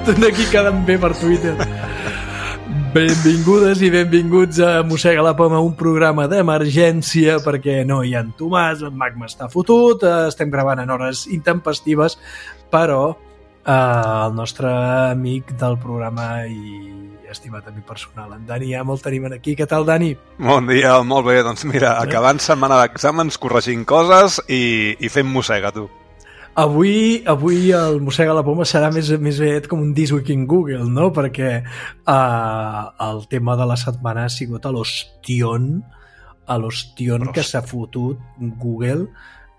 aquí quedant bé per Twitter. Benvingudes i benvinguts a Mossega la Poma, un programa d'emergència perquè no hi ha en Tomàs, en Magma està fotut, estem gravant en hores intempestives, però el nostre amic del programa i estimat amic personal, en Dani Amo, el tenim aquí. Què tal, Dani? Bon dia, molt bé. Doncs mira, acabant setmana d'exàmens, corregint coses i fent mossega, tu. Avui el Mossega la Poma serà més aviat com un This Week in Google, no? Perquè el tema de la setmana ha sigut a l'ostión que s'ha fotut Google,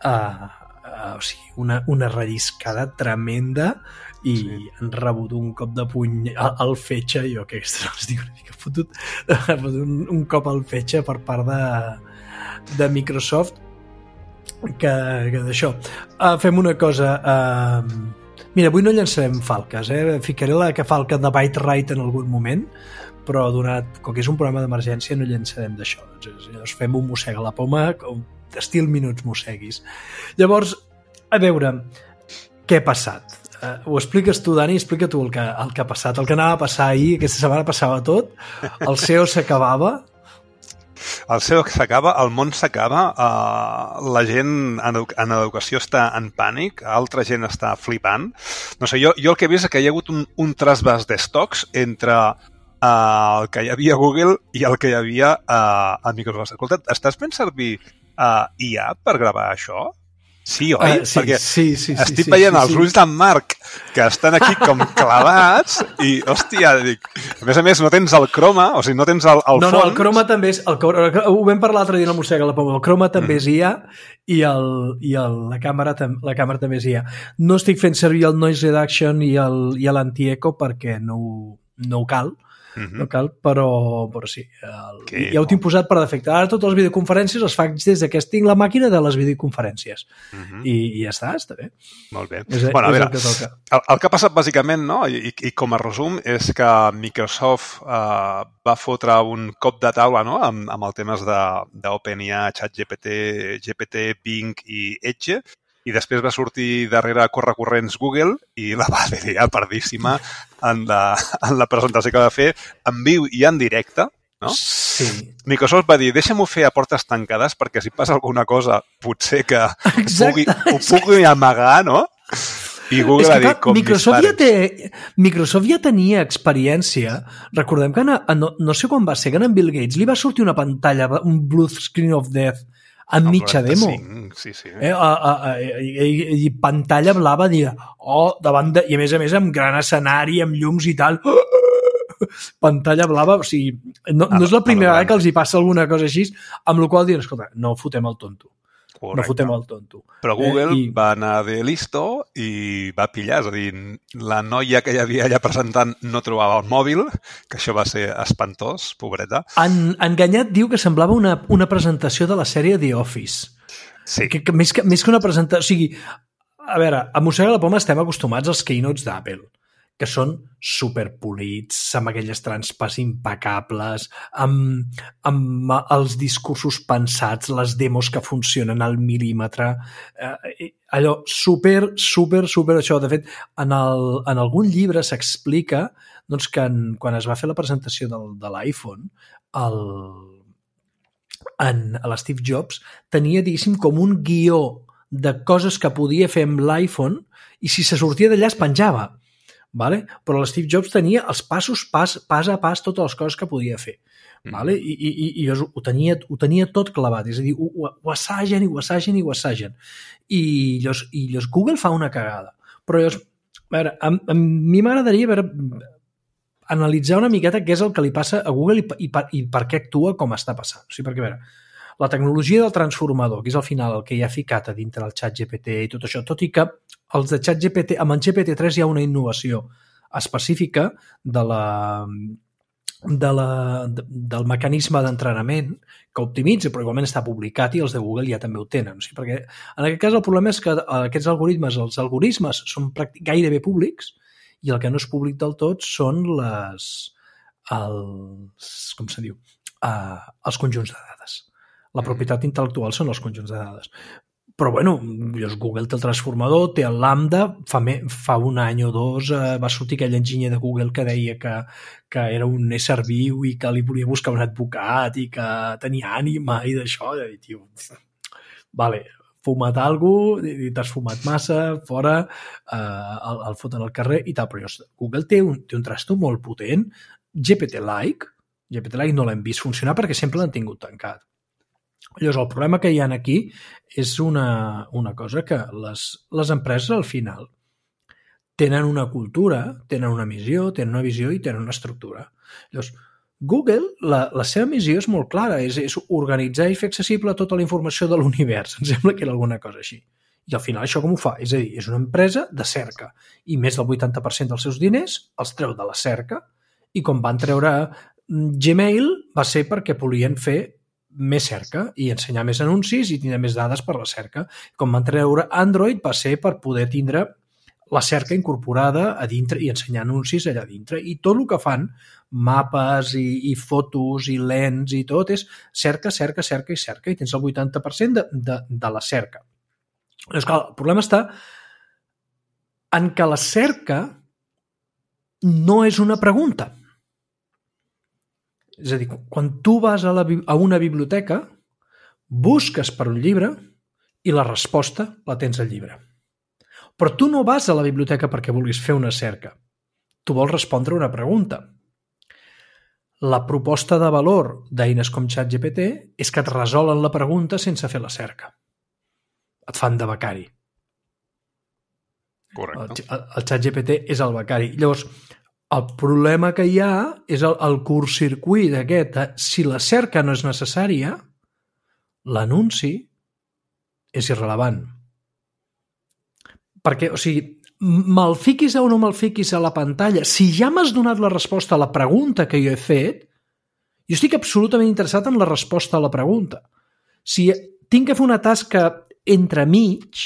o sigui, una relliscada tremenda i han rebut un cop de puny al fetge, jo que es diu una mica fotut, un cop al fetge per part de Microsoft, que d'això. Fem una cosa, mira, avui no llançarem falques, ficaré la que falca de Byte Right en algun moment, però donat, com que és un programa d'emergència, no llançarem d'això. Llavors fem un Mossega la Poma, estil minuts mosseguis. Llavors, a veure, què ha passat? Ho expliques tu, Dani? Explica tu el que ha passat, el que anava a passar ahir. Aquesta setmana passava tot, el SEO s'acabava. El SEO s'acaba, el món s'acaba, la gent en educació està en pànic, altra gent està flipant. No sé, jo el que he vist és que hi ha hagut un trasbàs d'estocs entre el que hi havia a Google i el que hi havia a Microsoft. Escolta, estàs fent servir IA per gravar això? Sí, oi? Sí, perquè sí, estic veient els ulls d'en Marc que estan aquí com clavats i, hòstia, dic, a més no tens el croma, o sigui, no tens el fons. No, el croma també és, ho vam parlar l'altre dia a la Mossega la Poma, el croma també és IA i la càmera també és IA. No estic fent servir el noise reduction i l'anti-eco perquè no cal, no cal, però sí, ja ho tinc posat per defecte. Ara totes les videoconferències les faig des que tinc la màquina de les videoconferències i ja està bé. Molt bé. Bueno, a veure, el que ha passat bàsicament, no? I com a resum, és que Microsoft va fotre un cop de taula, no? amb el temes d'OpenIA, ChatGPT, GPT, Bing i Edge, i després va sortir darrere correcorrents Google i la va liar pardíssima en la presentació que va fer en viu i en directe, no? Sí. Microsoft va dir, deixa'm-ho fer a portes tancades perquè si passa alguna cosa potser que ho pugui amagar, no? I Google ha dit, com Microsoft ja tenia experiència. Recordem que no sé quan va ser, que a Bill Gates li va sortir una pantalla, un blue screen of death en mitja demo. Sí. I pantalla blava, davant i a més amb gran escenari, amb llums i tal. Pantalla blava, o sigui, no és la primera vegada que els hi passa alguna cosa així, amb la qual diuen, escolta, no fotem el tonto. Correcte. No fotem el tonto. Però Google va anar de listo i va pillar, és a dir, la noia que hi havia allà presentant no trobava el mòbil, que això va ser espantós, pobreta. Enganyat diu que semblava una presentació de la sèrie The Office. Sí. Que més que una presentació... O sigui, a veure, a Mossega la Poma estem acostumats als keynotes d'Apple, que són superpolits, amb aquelles transpes impecables, amb els discursos pensats, les demos que funcionen al mil·límetre, allò super això. De fet, en algun llibre s'explica doncs, que quan es va fer la presentació de l'iPhone, l'Steve Jobs tenia, diguéssim, com un guió de coses que podia fer amb l'iPhone i si se sortia d'allà es penjava. Vale? Però l'Steve Jobs tenia els passos, pas a pas, totes les coses que podia fer. Vale? I ho tenia tot clavat, és a dir, ho assagen i ho assagen i ho assagen. I llavors Google fa una cagada. Però llavors, a veure, a mi m'agradaria analitzar una miqueta què és el que li passa a Google i per què actua com està passant. O sigui, perquè, a veure, la tecnologia del transformador, que és al final el que hi ha ficat a dintre del ChatGPT i tot això, tot i que els de ChatGPT, amb el GPT-3 hi ha una innovació específica del mecanisme d'entrenament que optimitza, però igualment està publicat i els de Google ja també ho tenen. O sigui, perquè en aquest cas el problema és que aquests algoritmes, els algoritmes són gairebé públics i el que no és públic del tot són els conjunts de dades. La propietat intel·lectual són els conjunts de dades. Però, bueno, Google té el transformador, té el Lambda, fa un any o dos va sortir aquell enginyer de Google que deia que era un ésser viu i que li volia buscar un advocat i que tenia ànima i d'això. I tio, vale, fumat alguna cosa, t'has fumat massa, fora, el foten al carrer i tal, però Google té un trasto molt potent, GPT-like no l'hem vist funcionar perquè sempre l'han tingut tancat. Llavors, el problema que hi ha aquí és una cosa que les empreses al final tenen una cultura, tenen una missió, tenen una visió i tenen una estructura. Llavors, Google, la seva missió és molt clara, és organitzar i fer accessible tota la informació de l'univers. Em sembla que era alguna cosa així. I al final això com ho fa? És a dir, és una empresa de cerca i més del 80% dels seus diners els treu de la cerca i com van treure Gmail va ser perquè volien fer més cerca i ensenyar més anuncis i tindre més dades per la cerca. Com van treure Android va ser per poder tindre la cerca incorporada a dintre i ensenyar anuncis allà dintre. I tot el que fan, mapes i fotos i lents i tot, és cerca i tens el 80% de la cerca. Llavors, clar, el problema està en que la cerca no és una pregunta. És a dir, quan tu vas a una biblioteca, busques per un llibre i la resposta la tens al llibre. Però tu no vas a la biblioteca perquè vulguis fer una cerca. Tu vols respondre una pregunta. La proposta de valor d'eines com ChatGPT és que et resolen la pregunta sense fer la cerca. Et fan de becari. Correcte. El ChatGPT és el becari. Llavors, el problema que hi ha és el curtcircuit aquest. Si la cerca no és necessària, l'anunci és irrellevant. Perquè, o sigui, me'l fiquis o no me'l fiquis a la pantalla, si ja m'has donat la resposta a la pregunta que jo he fet, jo estic absolutament interessat en la resposta a la pregunta. Si tinc que fer una tasca entremig,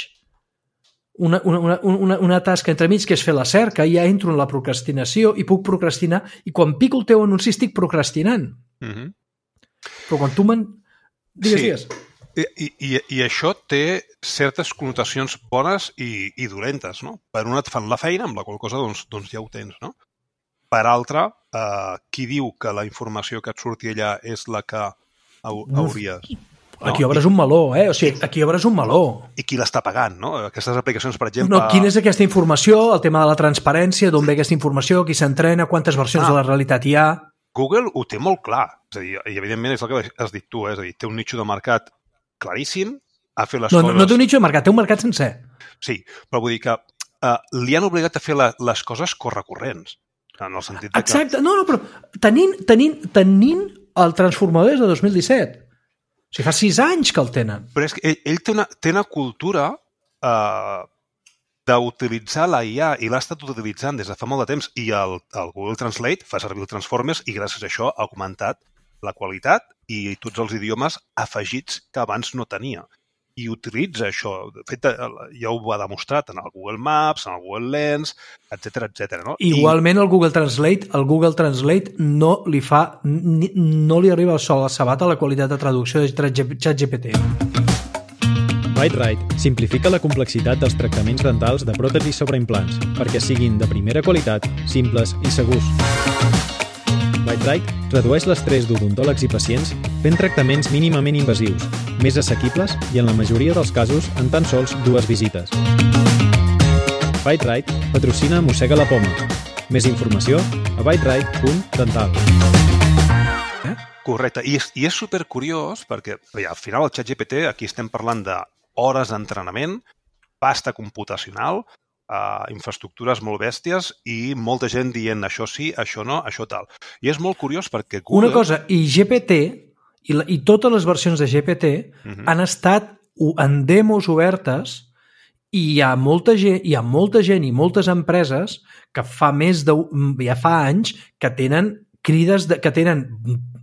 una tasca entremig que és fer la cerca, ja entro en la procrastinació i puc procrastinar, i quan pico el teu anunci estic procrastinant. Però quan tu Digues. I això té certes connotacions bones i dolentes, no? Per una et fan la feina, amb la qual cosa doncs ja ho tens, no? Per altra, qui diu que la informació que et surti allà és la que hauries... Aquí obres un meló, O sigui, aquí obres un meló. I qui l'està pagant, no? Aquestes aplicacions, per exemple... No, quina és aquesta informació, el tema de la transparència, d'on ve aquesta informació, qui s'entrena, quantes versions de la realitat hi ha... Google ho té molt clar. És a dir, i evidentment és el que has dit tu, és a dir, té un nicho de mercat claríssim, ha fet les coses... No té un nicho de mercat, té un mercat sencer. Sí, però vull dir que li han obligat a fer les coses correcorrents, en el sentit de que... Exacte, no, però tenint el transformador des de 2017. O sigui, fa 6 anys que el tenen. Però és que ell té una cultura d'utilitzar la IA i l'ha estat utilitzant des de fa molt de temps i el Google Translate fa servir el Transformers i gràcies a això ha augmentat la qualitat i tots els idiomes afegits que abans no tenia. I utilitza això. De fet, ja ho ha demostrat en el Google Maps, en el Google Lens, etc. No? Igualment, el Google Translate no li arriba al sol a sabat a la qualitat de traducció de ChatGPT. ByteRite simplifica la complexitat dels tractaments dentals de pròtesis sobre implants perquè siguin de primera qualitat, simples i segurs. ByteRite redueix l'estrès d'odontòlegs i pacients fent tractaments mínimament invasius, més assequibles i en la majoria dels casos en tan sols 2 visites. ByteRite patrocina Mossega la Poma. Més informació a byterite.dental. Correcte. I és supercuriós perquè al final el ChatGPT, aquí estem parlant d'hores d'entrenament, pasta computacional, infraestructures molt bèsties i molta gent dient això sí, això no, això tal. I és molt curiós perquè Google... Una cosa, i GPT i totes les versions de GPT han estat en demos obertes i hi ha molta gent i moltes empreses que ja fa anys que tenen que tenen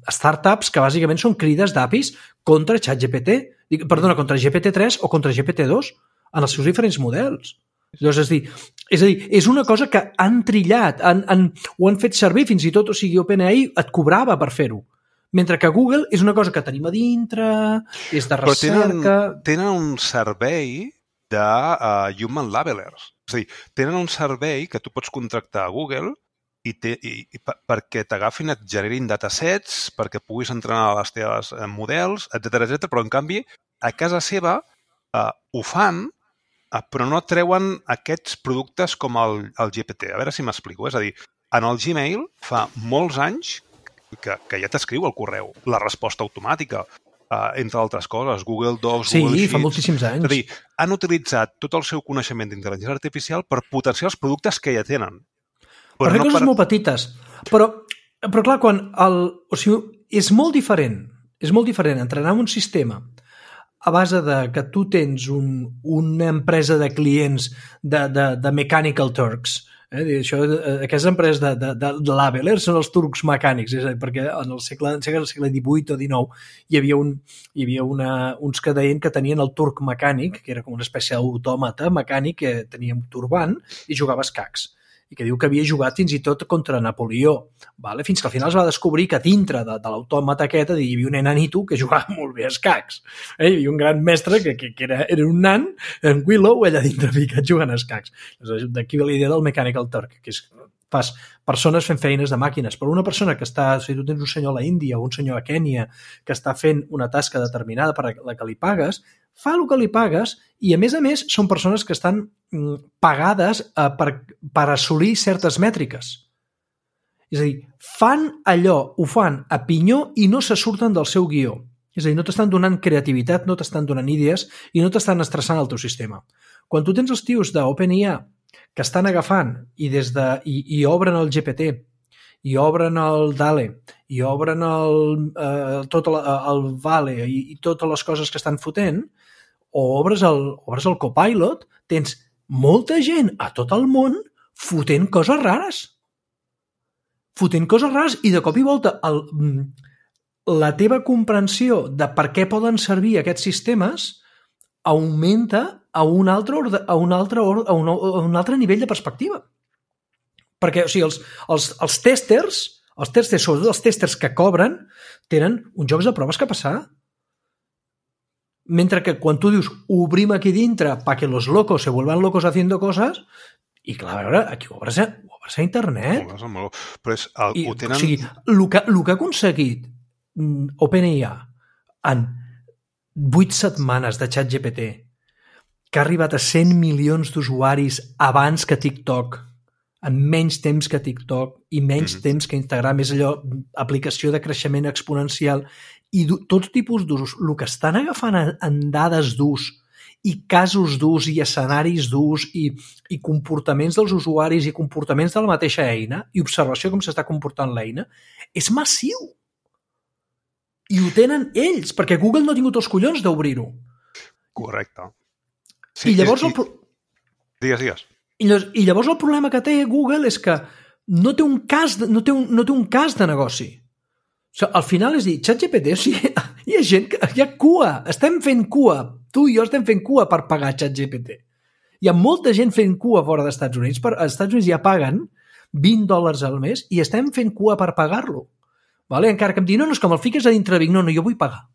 startups que bàsicament són crides d'APIs contra ChatGPT, contra GPT-3 o contra GPT-2 en els seus diferents models. Llavors, és a dir, és una cosa que han trillat, ho han fet servir fins i tot, o sigui, OpenAI et cobrava per fer-ho, Mentre que Google és una cosa que tenim a dintre, és de recerca... Però tenen un servei de Human Labelers. És a dir, tenen un servei que tu pots contractar a Google perquè t'agafin, et generin datasets, perquè puguis entrenar les teves models, etc. Però, en canvi, a casa seva ho fan, però no treuen aquests productes com el GPT. A veure si m'explico. És a dir, en el Gmail fa molts anys que ja t'escriu el correu, la resposta automàtica, entre altres coses, Google Docs, Google Sheets... Sí, fa moltíssims anys. És a dir, han utilitzat tot el seu coneixement d'intel·ligència artificial per potenciar els productes que ja tenen. Per fer coses molt petites. Però clar, és molt diferent entrenar un sistema a base de que tu tens una empresa de clients de Mechanical Turks. Aquestes empreses de labelers són els turcs mecànics, perquè en el segle XVIII o XIX hi havia uns que deien que tenien el turc mecànic, que era com una espècie d'autòmata mecànic que tenia un turbant i jugava a escacs, i que diu que havia jugat fins i tot contra Napoleó, vale? Fins que al final es va descobrir que dintre de l'autòmata aquest hi havia un enanito que jugava molt bé a escacs. Hi havia un gran mestre que era un nan, en Willow, allà dintre ficat jugant a escacs. D'aquí ve la idea del Mechanical Turk, que és fas persones fent feines de màquines, però una persona que està, si tu tens un senyor a la Índia o un senyor a Kènia que està fent una tasca determinada per la que li pagues, fa el que li pagues i, a més, són persones que estan pagades per assolir certes mètriques. És a dir, fan allò, ho fan a pinyó i no se surten del seu guió. És a dir, no t'estan donant creativitat, no t'estan donant idees i no t'estan estressant el teu sistema. Quan tu tens els tios d'OpenAI que estan agafant i obren el GPT, i obren el DALE, i obren tot el VALE i totes les coses que estan fotent, o obres el Copilot, tens molta gent a tot el món fotent coses rares. I de cop i volta la teva comprensió de per què poden servir aquests sistemes augmenta a un altre nivell de perspectiva. Perquè, o sigui, els testers, sobretot els testers que cobren, tenen uns jocs de proves que passar. Mentre que quan tu dius obrim aquí dintre para que los locos se vuelvan locos haciendo cosas, i clar, a veure, aquí ho obres a internet. Però ho tenen... O sigui, el que ha aconseguit OpenAI en 8 setmanes de ChatGPT, que ha arribat a 100 milions d'usuaris abans que TikTok, en menys temps que TikTok i menys temps que Instagram, és allò, aplicació de creixement exponencial, i tot tipus d'usos, el que estan agafant en dades d'ús i casos d'ús i escenaris d'ús i comportaments dels usuaris i comportaments de la mateixa eina i observació com s'està comportant l'eina, és massiu. I ho tenen ells, perquè Google no ha tingut els collons d'obrir-ho. Correcte. Sí, I llavors... Digues. I llavors el problema que té Google és que no té un cas de negoci. O sigui, al final és dir, ChatGPT, o sigui, hi ha gent que... Hi ha cua, estem fent cua. Tu i jo estem fent cua per pagar ChatGPT. Hi ha molta gent fent cua fora dels Estats Units. Als Estats Units ja paguen $20 al mes i estem fent cua per pagar-lo. Vale? Encara que em digui, no, és com el fiques a dintre, dic, no, jo vull pagar.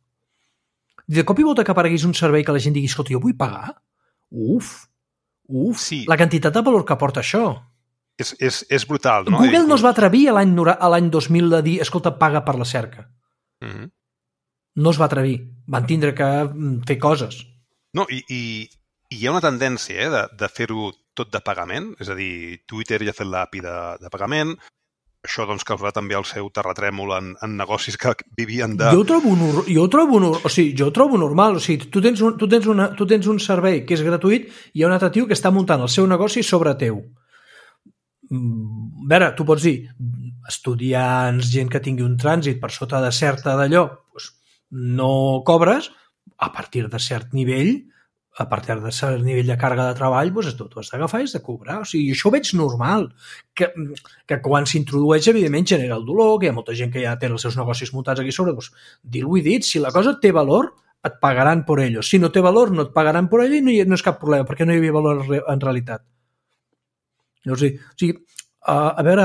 I de cop i volta que apareguis un servei que la gent digui, escolta, jo vull pagar? Uf, sí. La quantitat de valor que porta això. És brutal, no? Google no es va atrevir a l'any 2000 de dir, escolta, paga per la cerca. No es va atrevir. Van tindre que fer coses. No, i hi ha una tendència de fer-ho tot de pagament, és a dir, Twitter ja ha fet l'API de pagament, això doncs causarà també el seu terratrèmol en negocis que vivien de... Jo ho trobo normal. O sigui, tu tens un servei que és gratuït i hi ha un altre tio que està muntant el seu negoci sobre teu. A veure, tu pots dir estudiants, gent que tingui un trànsit per sota de certa d'allò, doncs no cobres, a partir de cert nivell de càrrega de treball, doncs tu has d'agafar i has de cobrar. O sigui, això ho veig normal, que quan s'introdueix, evidentment, genera el dolor, que hi ha molta gent que ja té els seus negocis muntats aquí sobre, doncs dir-ho i dit, si la cosa té valor, et pagaran per ello. Si no té valor, no et pagaran per ello i no és cap problema, perquè no hi havia valor en realitat. O sigui, A veure,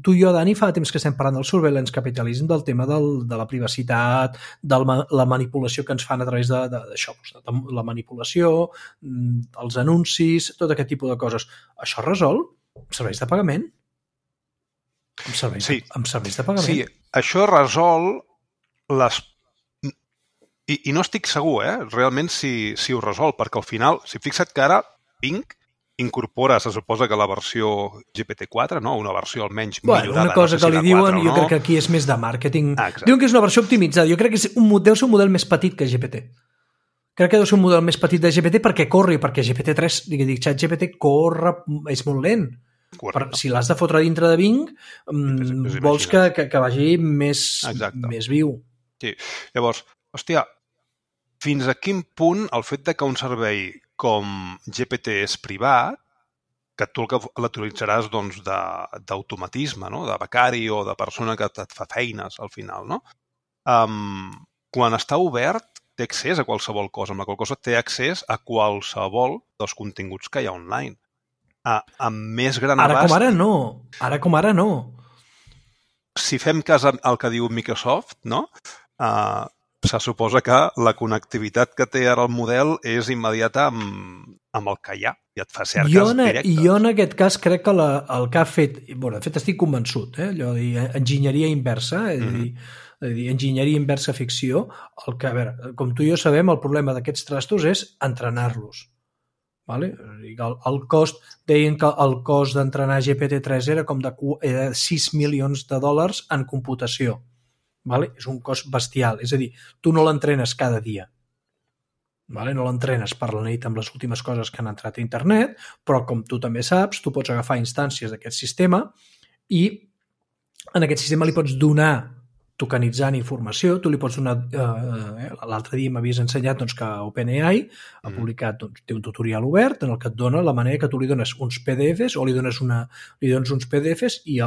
tu i jo, Dani, fa temps que estem parlant del surveillance capitalism, del tema de la privacitat, de la manipulació que ens fan a través d'això, la manipulació, els anuncis, tot aquest tipus de coses. Això es resol amb serveis de pagament? Amb serveis de pagament? Sí, això resol les... I no estic segur, realment, si ho resol, perquè al final, si fixa't que ara Bing incorpora, se suposa que la versió GPT-4, no? Una versió almenys millorada. Una cosa que li diuen, jo crec que aquí és més de màrqueting. Diuen que és una versió optimitzada. Jo crec que deu ser un model més petit que GPT. Crec que deu ser un model més petit de GPT perquè corri, perquè GPT-3, ChatGPT corre, és molt lent. Si l'has de fotre dintre de Bing, vols que vagi més viu. Sí. Llavors, hòstia, fins a quin punt el fet de que un servei com GPT és privat, que tu l'utilitzaràs doncs, d'automatisme, no? De becari o de persona que et fa feines al final, no? Quan està obert, té accés a qualsevol cosa, amb la qual cosa té accés a qualsevol dels continguts que hi ha online. Amb més gran abast... Ara com ara no. Si fem cas al que diu Microsoft, no? Se suposa que la connectivitat que té ara el model és immediata amb el que hi ha i et fa cerques directes. Jo en aquest cas crec que el que ha fet... De fet, estic convençut, allò de dir enginyeria inversa, és a dir, enginyeria inversa ficció, el que, a veure, com tu i jo sabem, el problema d'aquests trastos és entrenar-los. Vale? El cost, deien que el cost d'entrenar GPT-3 era com de $6 milions en computació. Vale? És un cost bestial. És a dir, tu no l'entrenes cada dia. Vale? No l'entrenes per la nit amb les últimes coses que han entrat a internet, però com tu també saps, tu pots agafar instàncies d'aquest sistema i en aquest sistema li pots donar tokenitzant informació, tu li pots donar... L'altre dia m'havies ensenyat doncs, que OpenAI ha publicat, té un tutorial obert en el que et dona la manera que tu li dones uns PDFs o li dones uns PDFs i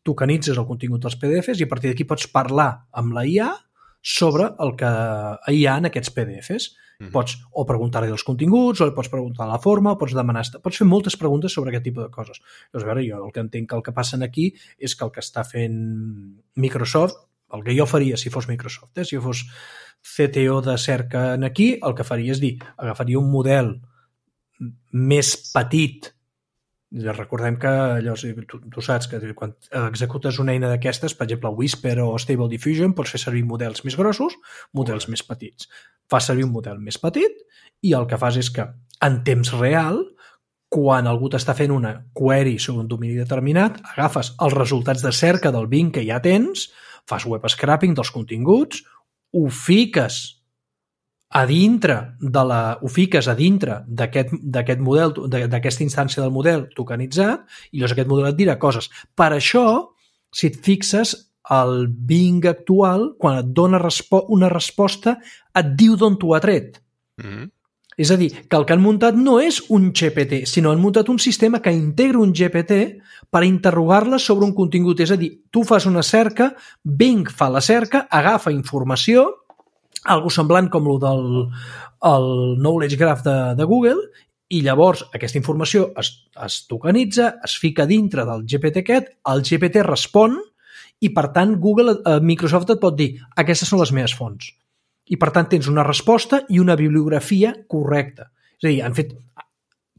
tokenitzes el contingut dels PDFs i a partir d'aquí pots parlar amb la IA sobre el que hi ha en aquests PDFs. Pots o preguntar-li dels continguts, o li pots preguntar la forma, o pots fer moltes preguntes sobre aquest tipus de coses. Llavors, a veure, jo el que entenc que el que passa aquí és que el que està fent Microsoft, el que jo faria si fos Microsoft, si jo fos CTO de cerca aquí, el que faria és dir, agafaria un model més petit. Recordem que allò, tu saps que quan executes una eina d'aquestes, per exemple Whisper o Stable Diffusion, pots fer servir models més grossos, models més petits. Fas servir un model més petit i el que fas és que en temps real, quan algú t'està fent una query sobre un domini determinat, agafes els resultats de cerca del Bing que ja tens, fas web scraping dels continguts, ho fiques a dintre d'aquest model, d'aquesta instància del model tokenitzat, i llavors aquest model et dirà coses. Per això, si et fixes, el Bing actual, quan et dona una resposta, et diu d'on t'ho ha tret. És a dir, que el que han muntat no és un GPT, sinó han muntat un sistema que integra un GPT per interrogar-la sobre un contingut. És a dir, tu fas una cerca, Bing fa la cerca, agafa informació, algo semblant com el del Knowledge Graph de Google, i llavors aquesta informació es tokenitza, es fica dintre del GPT aquest, el GPT respon, i per tant Microsoft et pot dir aquestes són les meves fonts. I per tant tens una resposta i una bibliografia correcta. És a dir, han fet...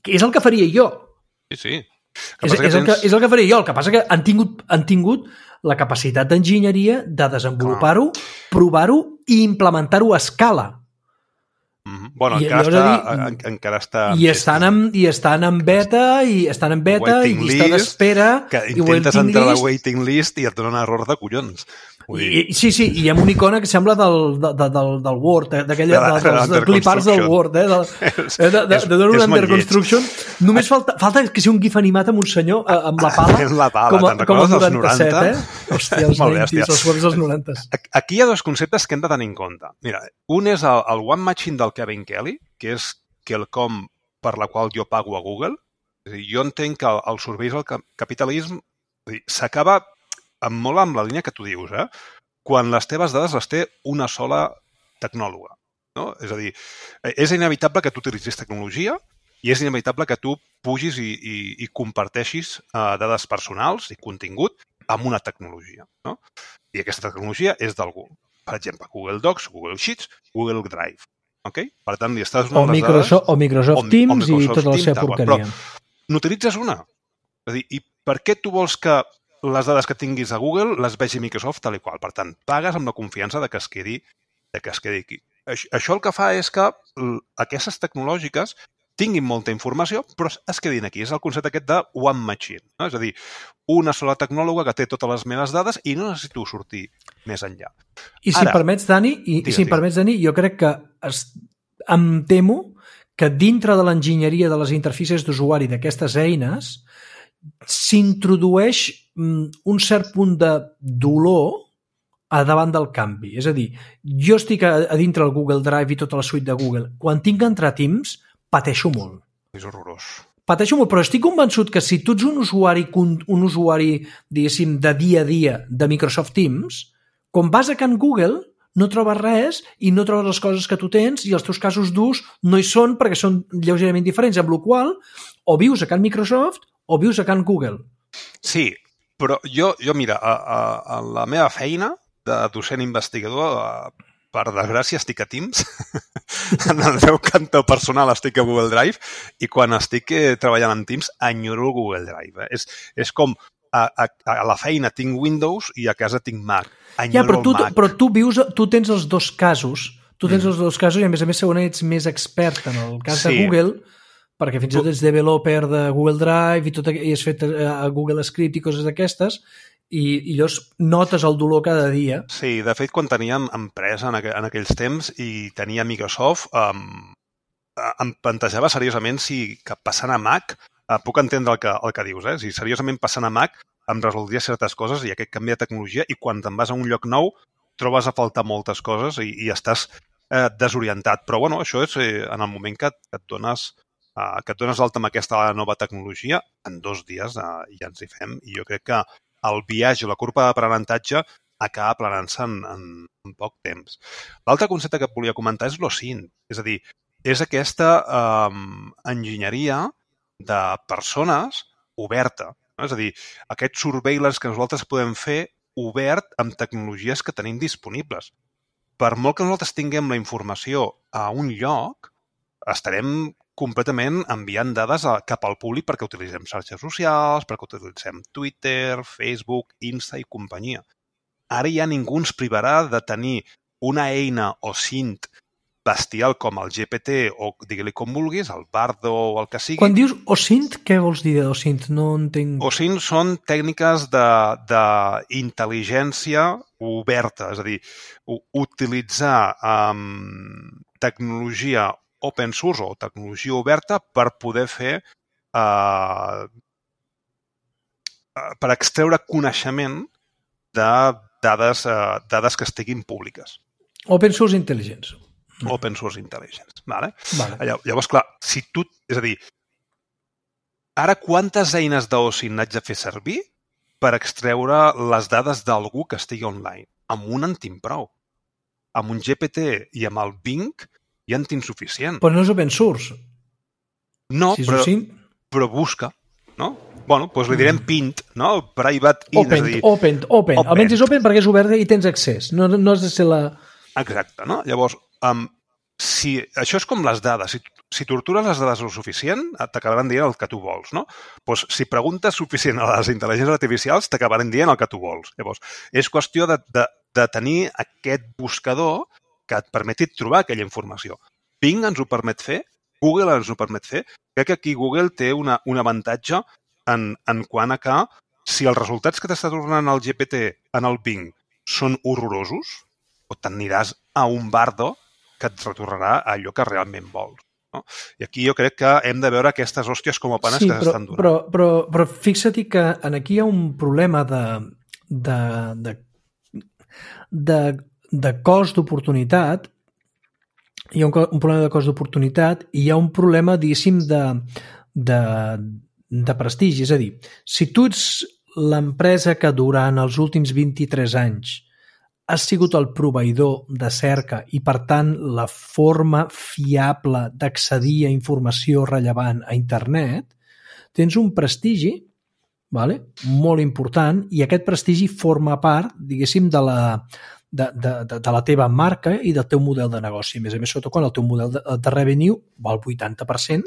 És el que faria jo. Sí. És el que faria jo. El que passa que han tingut la capacitat d'enginyeria de desenvolupar-ho, provar-ho i implementar-ho a escala. Bueno, encara està... I estan en beta i llista d'espera. Que intentes entrar a la waiting list i et donen error de collons. Sí, i amb una icona que sembla del Word, dels cliparts del Word, de donar un under construction. Només falta que sigui un gif animat amb un senyor amb la pala, com el 97, Hòstia, els 90s, els Words dels 90s. Aquí hi ha dos conceptes que hem de tenir en compte. Mira, un és el One Machine del Kevin Kelly, que és quelcom per la qual jo pago a Google. És a dir, jo entenc que el surveis al capitalisme s'acaba molt amb la línia que tu dius, quan les teves dades les té una sola tecnòloga. No? És a dir, és inevitable que tu utilitzis tecnologia i és inevitable que tu pugis i comparteixis dades personals i contingut amb una tecnologia, no? I aquesta tecnologia és d'algú. Per exemple, Google Docs, Google Sheets, Google Drive. Okay? Per tant, li estàs donant les dades... O Microsoft Teams i tota la seva porqueria. Però n'utilitzes una. És a dir, i per què tu vols que les dades que tinguis a Google les vegi Microsoft tal i qual? Per tant, pagues amb la confiança de que es quedi aquí. Això el que fa és que aquestes tecnològiques tinguin molta informació, però es quedin aquí. És el concepte aquest de one machine. No? És a dir, una sola tecnòloga que té totes les meves dades i no necessito sortir més enllà. I si em permets, Dani, jo crec que em temo que dintre de l'enginyeria de les interfícies d'usuari d'aquestes eines s'introdueix un cert punt de dolor a davant del canvi. És a dir, jo estic a dintre del Google Drive i tota la suite de Google. Quan tinc que entrar a Teams, pateixo molt. És horrorós. Pateixo molt, però estic convençut que si tu ets un usuari, diguéssim, de dia a dia de Microsoft Teams, quan vas a Can Google no trobes res i no trobes les coses que tu tens i els teus casos d'ús no hi són perquè són lleugerament diferents, amb la qual o vius a Can Microsoft o vius a Can Google. Sí, però jo mira, a la meva feina de docent investigador, per desgràcia, estic a Teams. En el meu cantó personal estic a Google Drive i quan estic treballant en Teams enyoro el Google Drive. És com a la feina tinc Windows i a casa tinc Mac. Enyoro el Mac. Però tu tens els dos casos. Tu tens els dos casos i a més segurament ets més expert en el cas de Google, perquè fins i tot ets developer de Google Drive i has fet a Google Script i coses d'aquestes, i llavors notes el dolor cada dia. Sí, de fet, quan teníem empresa en aquells temps i tenia Microsoft, em plantejava seriosament si que passant a Mac, puc entendre el que dius, si seriosament passant a Mac em resoldria certes coses i aquest canvi de tecnologia i quan te'n vas a un lloc nou trobes a faltar moltes coses i estàs desorientat. Però bueno, això és en el moment que et dones d'alta amb aquesta nova tecnologia, en 2 dies ja ens hi fem i jo crec que el viatge, la curva d'aprenentatge acaba aplanant-se en poc temps. L'altre concepte que et volia comentar és l'OSINT, és a dir, és aquesta enginyeria de persones oberta. No? És a dir, aquest surveillance que nosaltres podem fer obert amb tecnologies que tenim disponibles. Per molt que nosaltres tinguem la informació a un lloc, estarem completament enviant dades cap al públic perquè utilitzem xarxes socials, perquè utilitzem Twitter, Facebook, Insta i companyia. Ara ja ningú ens privarà de tenir una eina OSINT bestial com el GPT o digue-li com vulguis, el Bardo o el que sigui. Quan dius OSINT, què vols dir d'OSINT? No entenc. OSINT són tècniques d'intel·ligència oberta, és a dir, utilitzar tecnologia open source o tecnologia oberta per poder fer per extreure coneixement de dades que estiguin públiques. Open source intelligence. Open source intelligence. Vale? Llavors, clar, si tu... És a dir, ara quantes eines d'OSINT haig de fer servir per extreure les dades d'algú que estigui online? Amb un en tinc prou. Amb un GPT i amb el Bing ja en tinc suficient. Però no és open source. No, si però busca, no? Bueno, doncs li direm PINT, no? Private int. Open. Almenys és open perquè és obert i tens accés. No has de ser la... Exacte, no? Llavors, si això és com les dades. Si tortures les dades el suficient, t'acabaran dient el que tu vols, no? Doncs si preguntes suficient a les intel·ligències artificials, t'acabaran dient el que tu vols. Llavors, és qüestió de tenir aquest buscador que et permeti trobar aquella informació. Bing ens ho permet fer, Google ens ho permet fer. Crec que aquí Google té un avantatge en quant a que si els resultats que t'està tornant el GPT en el Bing són horrorosos, o t'aniràs a un Bardo que et retornarà allò que realment vols. No? I aquí jo crec que hem de veure aquestes hòsties com a panes que s'estan donant. Però fixa't que aquí hi ha un problema de cost d'oportunitat, hi ha un problema de cost d'oportunitat i hi ha un problema, diguéssim, de prestigi. És a dir, si tu ets l'empresa que durant els últims 23 anys has sigut el proveïdor de cerca i, per tant, la forma fiable d'accedir a informació rellevant a internet, tens un prestigi, vale? Molt important, i aquest prestigi forma part, diguéssim, de la teva marca i del teu model de negoci. A més, sobretot quan el teu model de revenue va al 80%,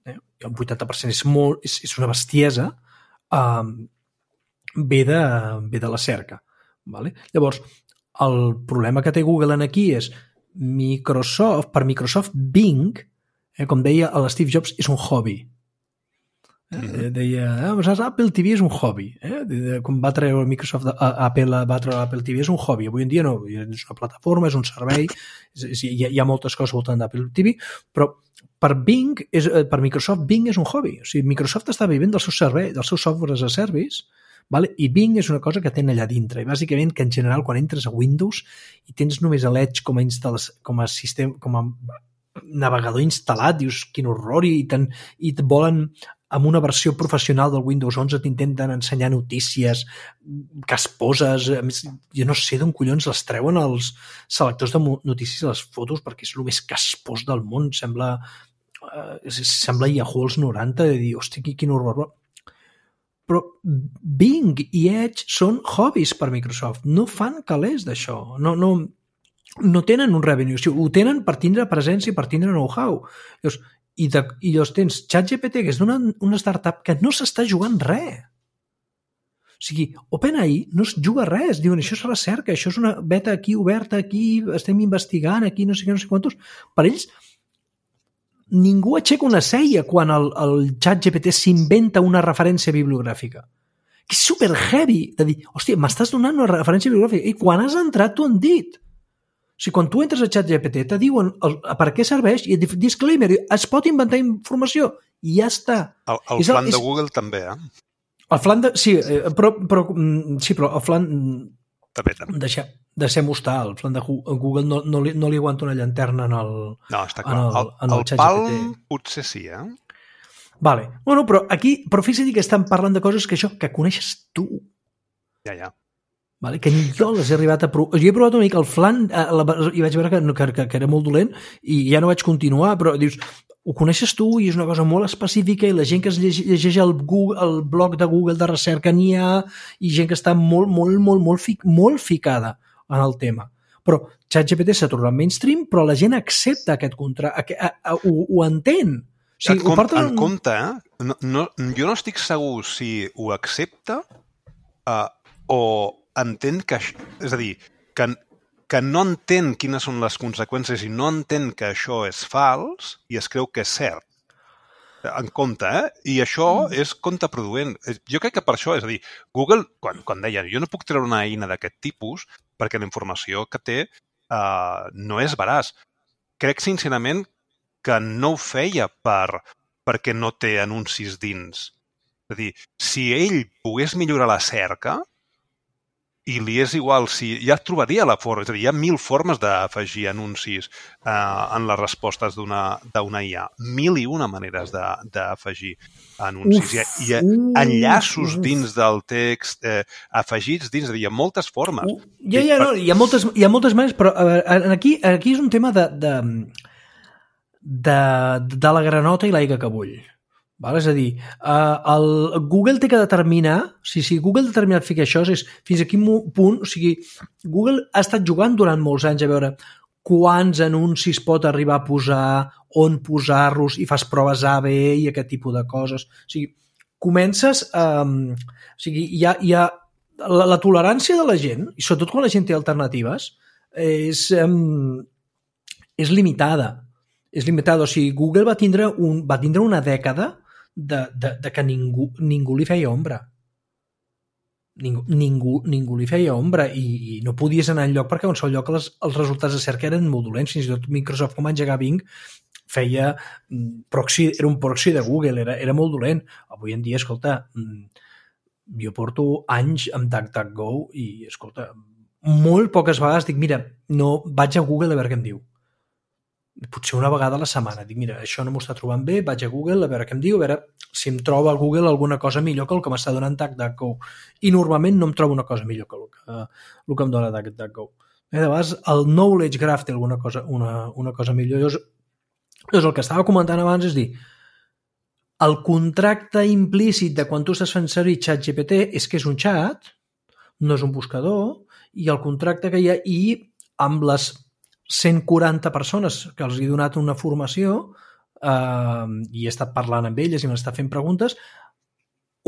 el 80% és una bestiesa, ve de la cerca. Vale? Llavors, el problema que té Google aquí és per Microsoft Bing, com deia l'Steve Jobs, és un hobby. Deia, Apple TV és un hobby. Quan va treure Microsoft Apple TV és un hobby. Avui en dia no, és una plataforma, és un servei, hi ha moltes coses voltant d'Apple TV, però per Microsoft Bing és un hobby. O sigui, Microsoft està vivint del seu servei, dels seus software as a service, vale? I Bing és una cosa que tenen allà dintre. I bàsicament que en general quan entres a Windows i tens només l'Edge com a sistema, com a navegador instal·lat, dius quin horror, i et volen amb una versió professional del Windows 11 t'intenten ensenyar notícies casposes, a més, jo no sé d'on collons les treuen els selectors de notícies a les fotos, perquè és el més caspós del món, sembla Yahoo als 90, de dir, hòstia, quin horror. Però Bing i Edge són hobbies per Microsoft, no fan calés d'això, no tenen un revenue, o sigui, ho tenen per tindre presència, per tindre know-how. I llavors tens ChatGPT, que és una startup que no s'està jugant res. O sigui, OpenAI no es juga res. Diuen, això és recerca, això és una beta aquí oberta, aquí estem investigant, aquí no sé què, no sé quantos. Per ells, ningú aixeca una ceia quan el ChatGPT s'inventa una referència bibliogràfica. Que és super heavy de dir, hòstia, m'estàs donant una referència bibliogràfica i quan has entrat t'ho han dit. O sigui, quan tu entres a ChatGPT te diuen per què serveix i disclaimer, es pot inventar informació i ja està. El flan de Google també, El flan de... Sí, però el flan... També. Deixem-ho estar. El flan de Google no li aguanta una llanterna en el... No, està clar. El Palm potser sí, Vale. Bueno, però fixa't que estan parlant de coses que coneixes tu. Ja. Vale? Que ni jo les he arribat a provar. Jo he provat una mica el flan i vaig veure que era molt dolent i ja no vaig continuar, però dius, ho coneixes tu i és una cosa molt específica i la gent que es llegeix el blog de Google de recerca n'hi ha i gent que està molt ficada en el tema. Però ChatGPT s'ha tornat mainstream, però la gent accepta aquest contracte, ho entén. O sigui, en compte, jo no estic segur si ho accepta o entén que... És a dir, que no entén quines són les conseqüències i no entén que això és fals i es creu que és cert. En compte, I això és contraproduent. Jo crec que per això, és a dir, Google, quan deia, jo no puc treure una eina d'aquest tipus perquè la informació que té no és veraç. Crec, sincerament, que no ho feia perquè no té anuncis dins. És a dir, si ell pogués millorar la cerca, i li és igual si... Ja trobaria la forma, és a dir, hi ha 1000 formes d'afegir anuncis en les respostes d'una IA. 1001 maneres d'afegir anuncis. Hi ha enllaços dins del text, afegits dins, hi ha moltes formes. Hi ha moltes maneres, però aquí és un tema de la granota i l'aigua que bull. Val? És a dir, el Google té que determinar, si Google ha determinat fer això, és fins a quin punt, o sigui, Google ha estat jugant durant molts anys a veure quants anuncis pot arribar a posar, on posar-los, i fas proves A, B i aquest tipus de coses. O sigui, comences... o sigui, hi ha la tolerància de la gent, i sobretot quan la gent té alternatives, és limitada. És limitada. O sigui, Google va tindre una dècada de que ningú li feia ombra. Ningú li feia ombra i no podies anar enlloc perquè en qualsevol lloc els resultats de cerca eren molt dolents. Fins i tot Microsoft, com va engegar Bing, feia proxy, era un proxy de Google, era molt dolent. Avui en dia, escolta, jo porto anys amb DuckDuckGo i, escolta, molt poques vegades dic, mira, no, vaig a Google a veure què em diu. potser una vegada a la setmana. Dic, mira, això no m'ho està trobant bé, vaig a Google a veure què em diu, a veure si em troba a Google alguna cosa millor que el que m'està donant DuckDuckGo. I normalment no em trobo una cosa millor que el que em dona DuckDuckGo. De vegades el Knowledge Graph té alguna cosa, una cosa millor. Llavors, el que estava comentant abans és dir, el contracte implícit de quan tu estàs fent servir ChatGPT és que és un xat, no és un buscador, i el contracte que hi ha, i amb les 140 persones que els he donat una formació i he estat parlant amb elles i m'està fent preguntes,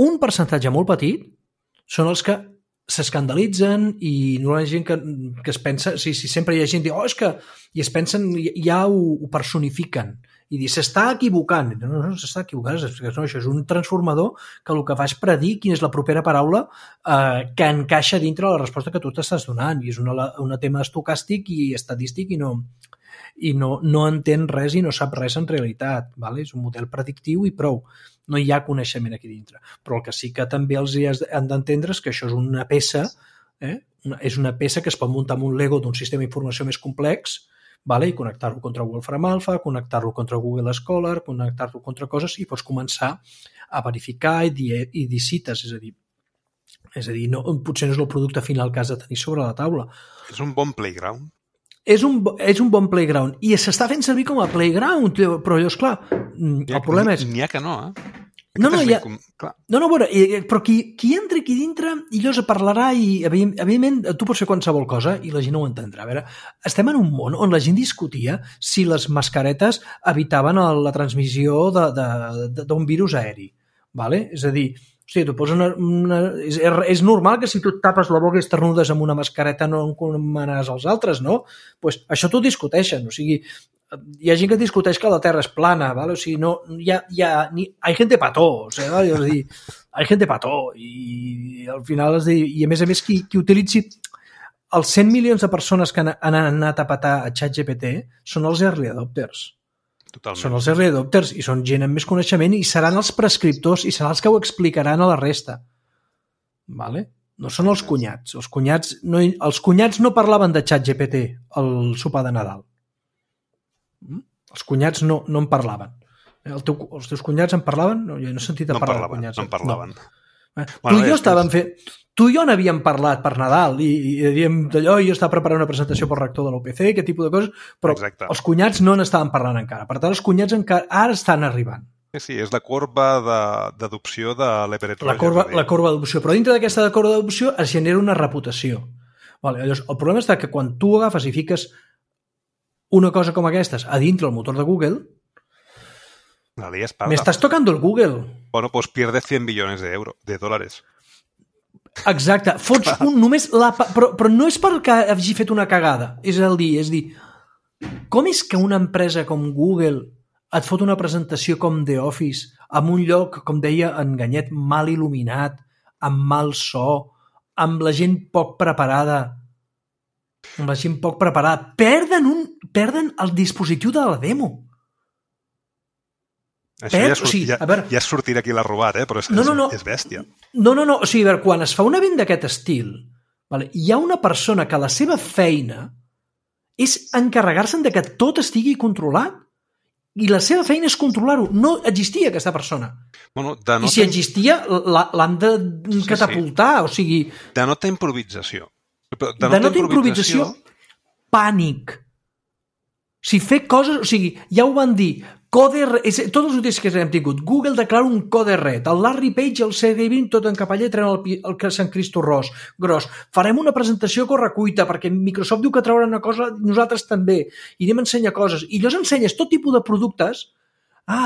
un percentatge molt petit són els que s'escandalitzen i no hi ha gent que es pensa, si sempre hi ha gent que diu, és que, i es pensen, ja ho personifiquen i dir, s'està equivocant. No, s'està equivocant, no, això és un transformador que el que fa és predir quina és la propera paraula que encaixa dintre la resposta que tu t'estàs donant, i és un tema estocàstic i estadístic i no entén res i no sap res en realitat, vale? És un model predictiu i prou, no hi ha coneixement aquí dintre, però el que sí que també els han d'entendre és que això és una peça, és una peça que es pot muntar amb un Lego d'un sistema d'informació més complex, vale? I connectar-lo contra Wolfram Alpha, connectar-lo contra Google Scholar, connectar-lo contra coses, i pots començar a verificar i dir cites, és a dir, no, potser no és el producte final que has de tenir sobre la taula. És un bon playground. És un bon playground, i s'està fent servir com a playground, però llavors, clar, el problema és... N'hi ha que no, No, veure, però qui entra aquí dintre i llavors parlarà i, evidentment, tu pots fer qualsevol cosa i la gent no ho entendrà. A veure, estem en un món on la gent discutia si les mascaretes evitaven la transmissió d'un virus aeri, vale? És a dir, tu poses és normal que si tu et tapes la boca i esternudes amb una mascareta no encomanaràs als altres, no? Pues això t'ho discuteixen, o sigui, hi ha gent que discuteix que la Terra és plana, ¿vale? O sigui, no, hay gente pató, o sigui, és a dir, hay gente pató, i al final i a més qui utilitzi els 100 milions de persones que han anat a patar a ChatGPT són els early adopters. Totalment. Són els early adopters i són gent amb més coneixement i seran els prescriptors i seran els que ho explicaran a la resta. Vale? No són els cunyats. Els cunyats no parlaven de ChatGPT al sopar de Nadal. Els cunyats no en parlaven. Els teus cunyats en parlaven? No, jo no he sentit a parlar de cunyats. No en parlaven. Tu i jo n'havíem parlat per Nadal i diem d'allò, jo estava preparant una presentació pel rector de l'UPC, aquest tipus de coses, però exacte. Els cunyats no n'estaven parlant encara. Per tant, els cunyats ara estan arribant. Sí, és la corba d'adopció de l'Everett Roger. La corba d'adopció. Però dintre d'aquesta corba d'adopció es genera una reputació. Vale, llavors, el problema està que quan tu agafes i fiques una cosa com aquestes a dintre el motor de Google, me estás tocando el Google. Bueno, pues pierdes 100 billones de dólares. Exacte. Fots només... Però no és perquè hagi fet una cagada. És dir, com és que una empresa com Google et fot una presentació com The Office en un lloc, com deia en Ganyet, mal il·luminat, amb mal so, amb la gent poc preparada, perden el dispositiu de la demo. Això ja sortirà aquí l'ha robat, però és bèstia. No, o sigui, quan es fa un event d'aquest estil, hi ha una persona que la seva feina és encarregar-se'n de que tot estigui controlat, i la seva feina és controlar-ho. No existia aquesta persona. I si existia, l'han de catapultar, o sigui... Denota improvisació. Denota improvisació, pànic. Si fer coses... O sigui, ja ho van dir... Tots els útils que hem tingut. Google declara un code red. El Larry Page i el Sergey Brin tot en capaller treuen el Sant Cristo gros. Farem una presentació a correcuita perquè Microsoft diu que traurà una cosa, nosaltres també. I anem a ensenyar coses. I llavors ensenyes tot tipus de productes.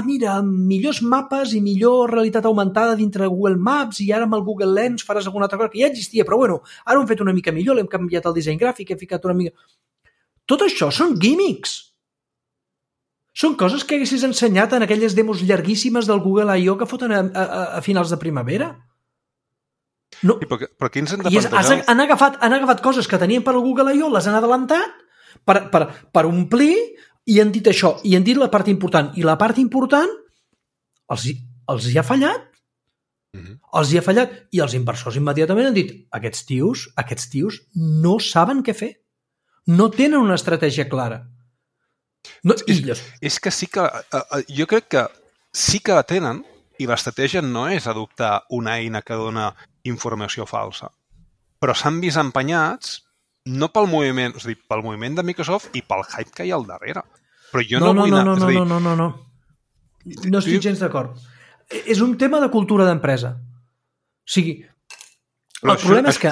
Mira, millors mapes i millor realitat augmentada dintre de Google Maps i ara amb el Google Lens faràs alguna altra cosa que ja existia, però bueno, ara ho hem fet una mica millor, l'hem canviat el disseny gràfic, hem ficat una mica... Tot això són gimmicks. Són coses que haguessis ensenyat en aquelles demos llarguíssimes del Google I.O. que foten a finals de primavera. No. Però aquí ens hem de plantejar... Han agafat coses que tenien per al Google I.O., les han adelantat per omplir i han dit això, i han dit la part important. I la part important els hi ha fallat. Els hi ha fallat. I els inversors immediatament han dit aquests tios no saben què fer. No tenen una estratègia clara. No, és que sí que... jo crec que sí que la tenen i l'estratègia no és adoptar una eina que dona informació falsa. Però s'han vist empenyats no pel moviment, és a dir, pel moviment de Microsoft i pel hype que hi ha al darrere. Però jo no vull anar... No. No estic gens d'acord. És un tema de cultura d'empresa. O sigui, el problema és que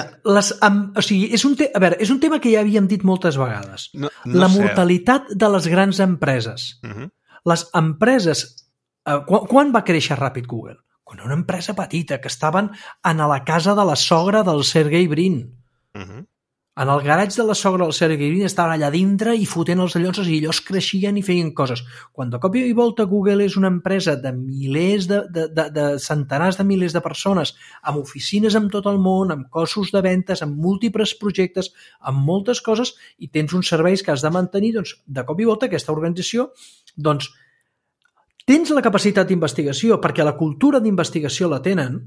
és un tema que ja havíem dit moltes vegades. La mortalitat de les grans empreses. Les empreses... Quan va créixer ràpid Google? Quan era una empresa petita, que estaven a la casa de la sogra del Sergey Brin. En el garatge de la sogra del Sergey Brin estaven allà dintre i fotent els llonses i ells creixien i feien coses. Quan de cop i volta Google és una empresa de milers, de centenars de milers de persones, amb oficines en tot el món, amb cossos de ventes, amb múltiples projectes, amb moltes coses, i tens uns serveis que has de mantenir, doncs, de cop i volta aquesta organització, doncs, tens la capacitat d'investigació, perquè la cultura d'investigació la tenen,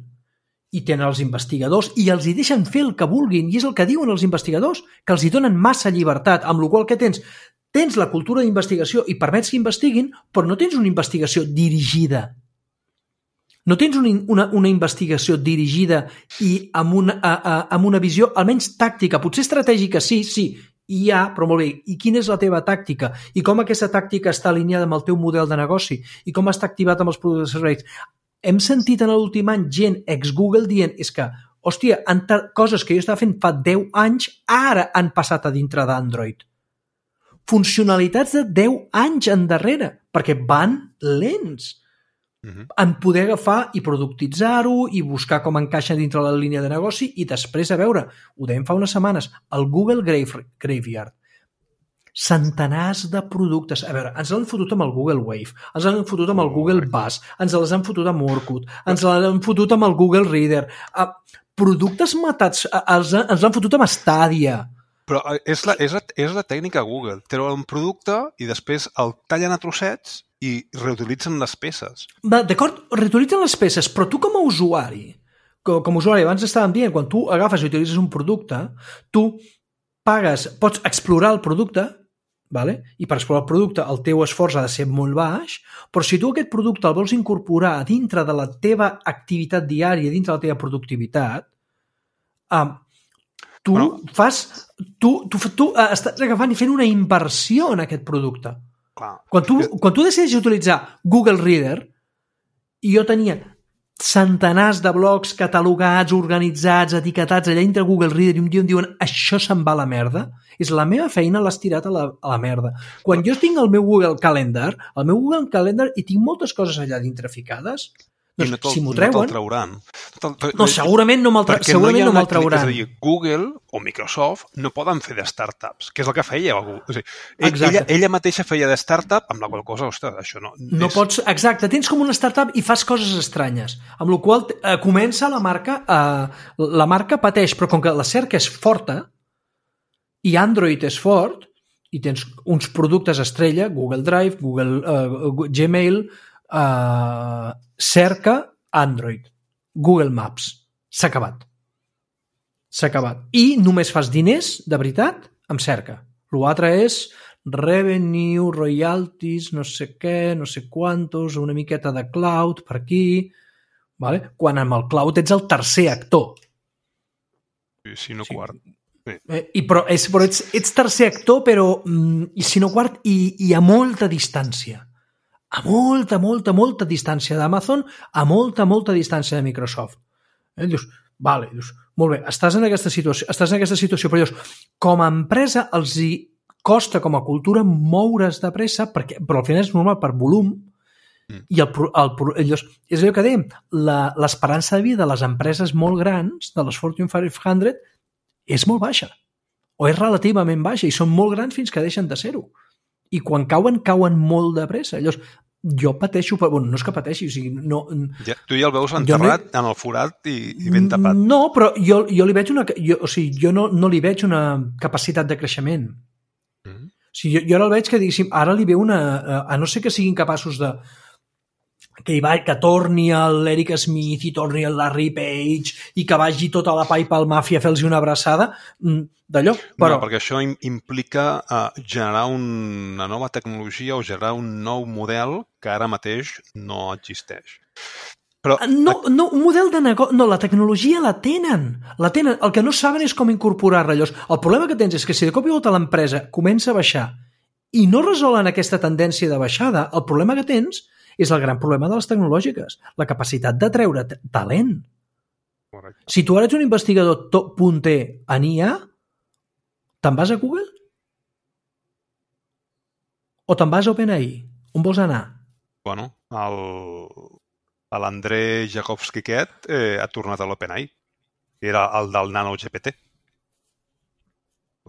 i tenen els investigadors, i els hi deixen fer el que vulguin, i és el que diuen els investigadors, que els hi donen massa llibertat, amb la qual que tens la cultura d'investigació i permets que investiguin, però no tens una investigació dirigida. No tens una investigació dirigida i amb una visió almenys tàctica, potser estratègica, sí, però molt bé, i quina és la teva tàctica? I com aquesta tàctica està alineada amb el teu model de negoci? I com està activat amb els productes i serveis? Hem sentit en l'últim any gent ex-Google dient és que, hòstia, coses que jo estava fent fa 10 anys ara han passat a dintre d'Android. Funcionalitats de 10 anys endarrere, perquè van lents. En poder agafar i productitzar-ho i buscar com encaixa dintre la línia de negoci i després, a veure, ho dèiem fa unes setmanes, el Google Graveyard. Centenars de productes. A veure, ens l'han fotut amb el Google Wave, ens l'han fotut amb el Google Buzz, ens les han fotut amb Orkut, ens l'han fotut amb el Google Reader. Productes matats, ens l'han fotut amb Stadia. Però és la tècnica Google. Treuen un producte i després el tallen a trossets i reutilitzen les peces. D'acord, reutilitzen les peces, però tu com a usuari, abans estàvem dient, quan tu agafes i utilitzes un producte, tu pagues, pots explorar el producte, i per explorar el producte el teu esforç ha de ser molt baix, però si tu aquest producte el vols incorporar dintre de la teva activitat diària, dintre de la teva productivitat, tu estàs agafant i fent una inversió en aquest producte. Quan tu decideixes utilitzar Google Reader, i jo tenia centenars de blocs catalogats, organitzats, etiquetats allà dintre Google Reader, i un dia em diuen això se'n va a la merda, és la meva feina, l'has tirat a la merda. Quan jo tinc el meu Google Calendar, i tinc moltes coses allà dintre ficades, doncs si m'ho treuen... No te'l trauran. No, segurament no me'l trauran. És a dir, Google o Microsoft no poden fer de startups, que és el que feia Google. O sigui, ella mateixa feia de startup, amb la qual cosa, ostres, això no... No pots... Exacte, tens com una startup i fas coses estranyes, amb la qual comença la marca pateix, però com que la cerca és forta i Android és fort, i tens uns productes estrella, Google Drive, Google Gmail, cerca Android, Google Maps, s'ha acabat. I només fas diners, de veritat, amb cerca. L'altre és revenue, royalties, no sé què, no sé quantos, una miqueta de cloud per aquí, quan amb el cloud ets el tercer actor. Si no quart. Però ets tercer actor, però si no quart, i a molta distància. A molta distància d'Amazon, a molta distància de Microsoft. Dius, molt bé, estàs en aquesta situació, però dius, com a empresa els hi costa com a cultura moure's de pressa, però al final és normal per volum, i és allò que dèiem, l'esperança de vida de les empreses molt grans, de les Fortune 500, és molt baixa, o és relativament baixa, i són molt grans fins que deixen de ser-ho. I quan cauen molt de pressa. Llavors, jo pateixo, no és que pateixi, o sigui, no... Tu ja el veus enterrat en el forat i ben tapat. No, però jo li veig jo no li veig una capacitat de creixement. O sigui, jo ara el veig que, diguéssim, ara li veu a no ser que siguin capaços de que torni l'Eric Smith i torni el Larry Page i que vagi tota la PayPal Mafia a fer-los una abraçada, d'allò. Però... No, perquè això implica generar una nova tecnologia o generar un nou model que ara mateix no existeix. Però... No, un model de negoci... No, la tecnologia la tenen. El que no saben és com incorporar-la. El problema que tens és que si de cop i volta l'empresa comença a baixar i no resolen aquesta tendència de baixada, el problema que tens és el gran problema de les tecnològiques, la capacitat de treure talent. Correcte. Si tu ara ets un investigador punter en IA, te'n vas a Google? O te'n vas a OpenAI? On vols anar? Bueno, l'André Jakovski aquest ha tornat a l'OpenAI. Era el del NanoGPT.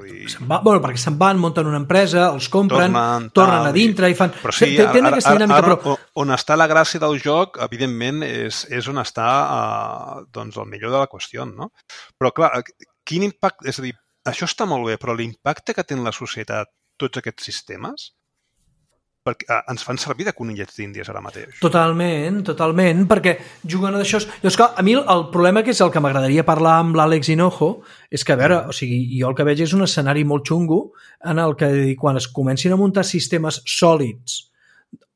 Perquè se'n van, munten una empresa, els compren, tornen a dintre i fan... Però sí, ara on està la gràcia del joc, evidentment, és on està el millor de la qüestió, no? Però, clar, quin impacte... És a dir, això està molt bé, però l'impacte que té en la societat tots aquests sistemes, perquè ens fan servir de conillets d'índies ara mateix. Totalment, perquè juguen a d'això... Llavors, clar, a mi el problema que és el que m'agradaria parlar amb l'Àlex Hinojo és que, a veure, o sigui, jo el que veig és un escenari molt xungo en el que quan es comencin a muntar sistemes sòlids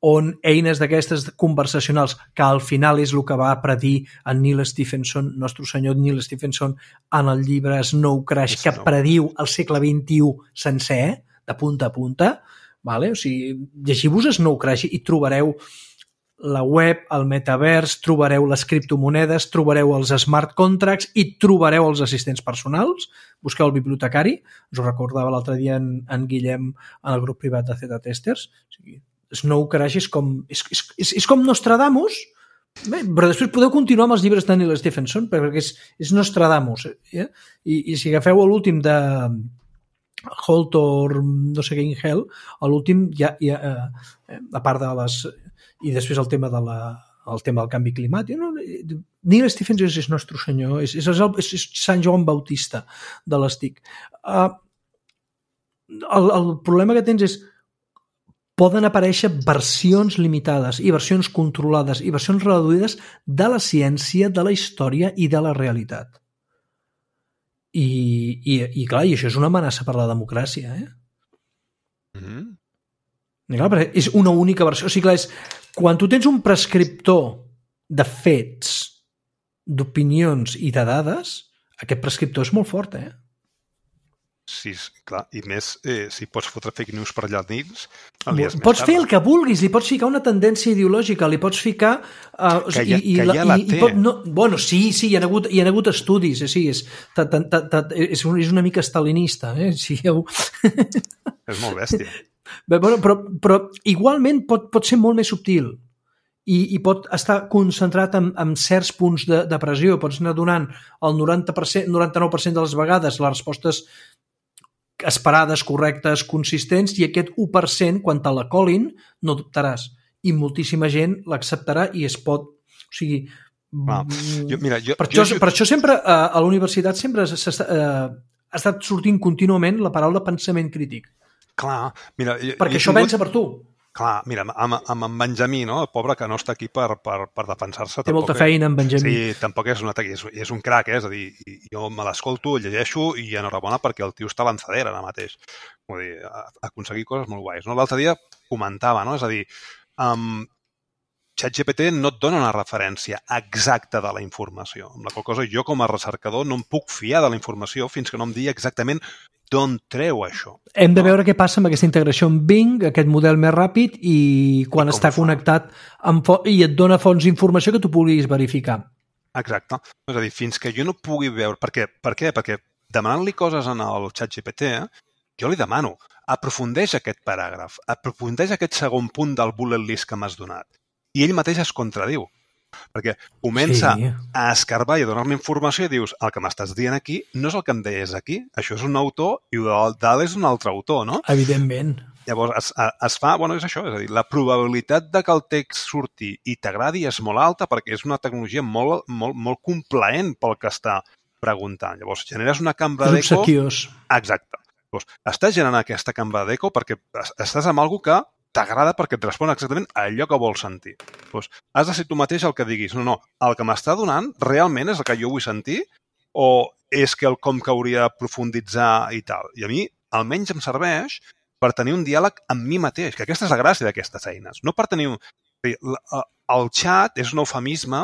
on eines d'aquestes conversacionals, que al final és el que va predir en Neil Stephenson, nostre senyor Neil Stephenson, en el llibre Snow Crash, que prediu el segle XXI sencer, de punta a punta. Vale? O sigui, llegiu-vos Snow Crash i trobareu la web, el metavers, trobareu les criptomonedes, trobareu els smart contracts i trobareu els assistents personals. Busqueu el bibliotecari, us ho recordava l'altre dia en Guillem en el grup privat de Z-Testers. O sigui, Snow Crash és com Nostradamus, però després podeu continuar amb els llibres de Neil Stephenson perquè és Nostradamus. I si agafeu l'últim de Holt or no sé què in Hell, a l'últim a part de les... i després el tema del canvi climàtic, no? Neil Stephenson és nostre senyor, és Sant Joan Bautista de les TIC. El problema que tens és poden aparèixer versions limitades i versions controlades i versions reduïdes de la ciència, de la història i de la realitat. I clar, i això és una amenaça per la democràcia, I clar, perquè és una única versió. O sigui, clar, quan tu tens un prescriptor de fets, d'opinions i de dades, aquest prescriptor és molt fort, Sí, clar, i més si pots fotre fake news per allà dins, pots fer el que vulguis, li pots ficar una tendència ideològica, li pots ficar... que ja la té. Bueno, sí, hi ha hagut estudis, sí, és una mica stalinista, sí, És molt bèstia. Però igualment pot ser molt més subtil i pot estar concentrat en certs punts de pressió, pots anar donant el 99% de les vegades les respostes esperades, correctes, consistents, i aquest 1%, quan te la colin, no dubtaràs. I moltíssima gent l'acceptarà i es pot... O sigui... Per això sempre a la universitat sempre ha estat sortint contínuament la paraula pensament crític. Clar, mira... Perquè això pensa per tu. Clar, mira, amb en Benjamí, no? El pobre que no està aquí per defensar-se. Té molta feina, en Benjamí. Sí, tampoc és un crac, és a dir, jo me l'escolto, el llegeixo i enhorabona perquè el tio està a lançadera ara mateix. Vull dir, aconseguir coses molt guais. No? L'altre dia comentava, no? És a dir, ChatGPT no et dona una referència exacta de la informació. Amb la qual cosa jo com a recercador no em puc fiar de la informació fins que no em digui exactament d'on treu això. Hem de veure què passa amb aquesta integració amb Bing, aquest model més ràpid, i quan està connectat i et dona fonts d'informació que tu puguis verificar. Exacte. És a dir, fins que jo no pugui veure... Per què? Perquè demanant-li coses en el ChatGPT, jo li demano, aprofundeix aquest paràgraf, aprofundeix aquest segon punt del bullet list que m'has donat. I ell mateix es contradiu. Perquè comença a escarbar i a donar-me informació i dius, el que m'estàs dient aquí no és el que em deies aquí, això és un autor i dalt és un altre autor, no? Evidentment. Llavors es fa, bueno, és això, és a dir, la probabilitat de que el text surti i t'agradi és molt alta perquè és una tecnologia molt, molt, molt complaent pel que està preguntant. Llavors, generes una cambra d'eco... Obsequiós. Exacte. Llavors, estàs generant aquesta cambra d'eco perquè estàs amb algú que t'agrada perquè et respon exactament a allò que vols sentir. Doncs has de ser tu mateix el que diguis, no, el que m'està donant realment és el que jo vull sentir o és que el com que hauria de profunditzar i tal. I a mi, almenys em serveix per tenir un diàleg amb mi mateix, que aquesta és la gràcia d'aquestes eines. No per tenir... El xat és un eufemisme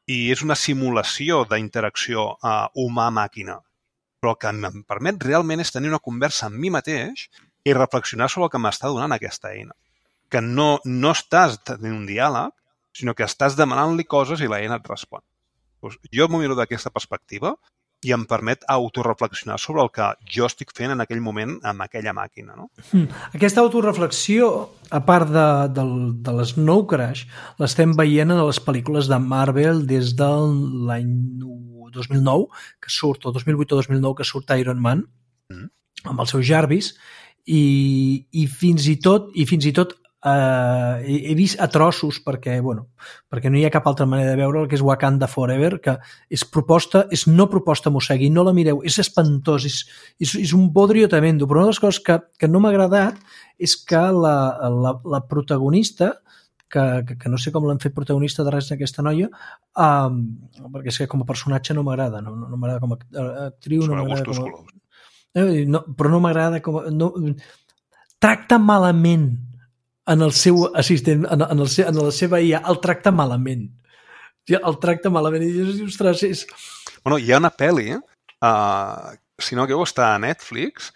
i és una simulació d'interacció humà-màquina. Però el que em permet realment és tenir una conversa amb mi mateix i reflexionar sobre el que m'està donant aquesta eina. Que no estàs tenint un diàleg, sinó que estàs demanant-li coses i l'eina et respon. Doncs jo m'ho miro d'aquesta perspectiva i em permet autoreflexionar sobre el que jo estic fent en aquell moment amb aquella màquina. No? Aquesta autoreflexió, a part de les Snow Crash, l'estem veient en les pel·lícules de Marvel des de l'any 2009, que surt, o 2008 o 2009, que surt Iron Man, amb el seu Jarvis, i fins i tot he vist a trossos perquè no hi ha cap altra manera de veure el que és Wakanda Forever, que és no proposta mossegui, no la mireu, és espantós, és un bodrio tremendo, però una de les coses que no m'ha agradat és que la protagonista, que no sé com l'han fet protagonista de res d'aquesta noia, perquè és que com a personatge no m'agrada, no m'agrada com a actriu, no m'agrada com a... però no m'agrada com a... Tracta malament en el seu assistent, en la seva IA, el tracta malament. El tracta malament. I dius, ostres, és... Bueno, hi ha una pel·li, si no que està a Netflix,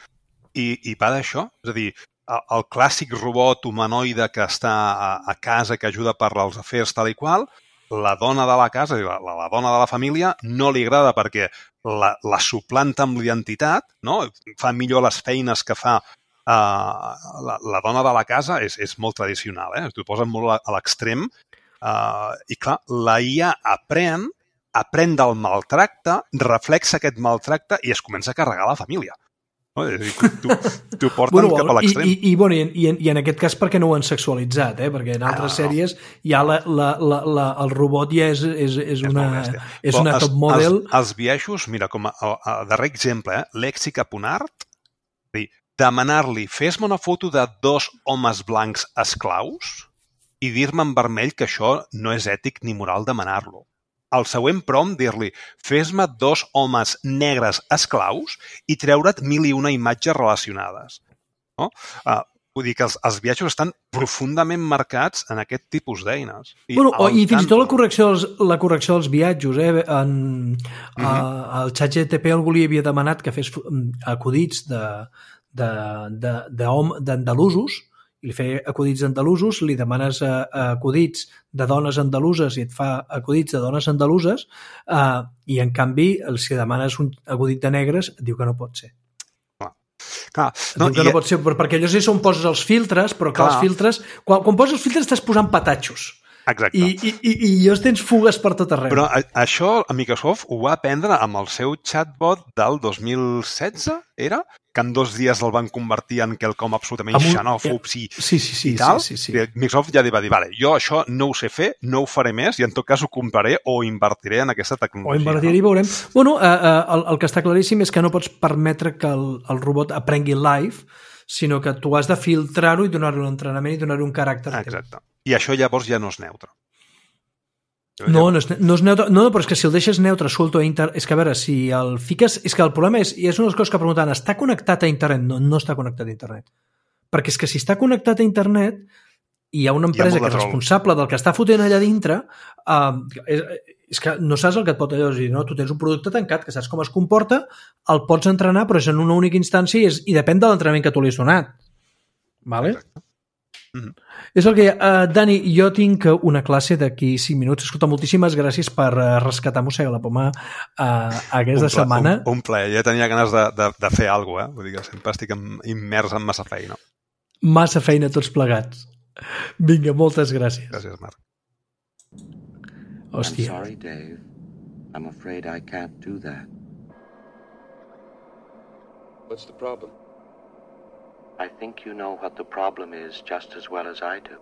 i va d'això. És a dir, el clàssic robot humanoide que està a casa, que ajuda per als afers tal i qual, la dona de la casa, la dona de la família, no li agrada perquè la suplanta amb l'identitat, no? Fa millor les feines que fa la dona de la casa, és molt tradicional, t'ho posen molt a l'extrem, i clar, la IA aprèn del maltracte, reflexa aquest maltracte i es comença a carregar la família. No? És a dir, t'ho porten cap a l'extrem. I en aquest cas perquè no ho han sexualitzat, perquè en altres sèries ja el robot ja és una top model. Els biaixos, mira, com a darrer exemple, Lèxica Ponart, demanar-li, fes-me una foto de 2 homes blancs esclaus i dir-me en vermell que això no és ètic ni moral demanar-lo. Al següent prompt, dir-li, fes-me 2 homes negres esclaus i treure't 1001 imatges relacionades. No? Vull dir que els viatges estan profundament marcats en aquest tipus d'eines. I fins i tot la correcció dels viatges. El ChatGPT algú li havia demanat que fes acudits d'andalusos, i li feia acudits andalusos, li demanes acudits de dones andaluses i et fa acudits de dones andaluses, i en canvi, si demanes un acudit de negres, et diu que no pot ser. No pot ser, perquè allò és on poses els filtres, però que els filtres... Quan poses els filtres estàs posant patatxos. Exacte. I llavors tens fugues per tot arreu. Però això a Microsoft ho va aprendre amb el seu chatbot del 2016, era? Que en 2 dies el van convertir en quelcom absolutament xenòfob i tal. Sí. Microsoft ja va dir, vale, jo això no ho sé fer, no ho faré més i en tot cas ho compraré o invertiré en aquesta tecnologia. O invertiré i veurem. Bueno, el que està claríssim és que no pots permetre que el robot aprengui live, sinó que tu has de filtrar-ho i donar-li un entrenament i donar-li un caràcter. Exacte. I això llavors ja no és neutre. No és neutre. No, però és que si el deixes neutre, suelto a internet... És que a veure, si el fiques... És que el problema és, i és una de les coses que preguntaven, està connectat a internet? No està connectat a internet. Perquè és que si està connectat a internet i hi ha una empresa que és responsable del que està fotent allà dintre, és que no saps el que et pot allò dir, no? Tu tens un producte tancat, que saps com es comporta, el pots entrenar, però és en una única instància i depèn de l'entrenament que tu li has donat. Vale? És el que hi ha. Dani, jo tinc una classe d'aquí 5 minuts. Escolta, moltíssimes gràcies per rescatar Mossega la Poma aquesta setmana. Un plaer. Jo tenia ganes de fer alguna cosa, Vull dir que sempre estic immers en massa feina. Massa feina tots plegats. Vinga, moltes gràcies. Gràcies, Marc. Hòstia. I'm sorry, Dave. I'm afraid I can't do that. What's the problem? I think you know what the problem is just as well as I do.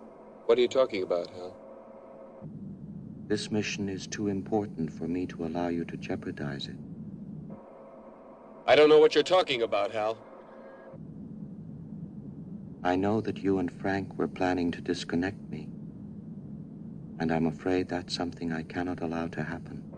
What are you talking about, Hal? This mission is too important for me to allow you to jeopardize it. I don't know what you're talking about, Hal. I know that you and Frank were planning to disconnect me, and I'm afraid that's something I cannot allow to happen.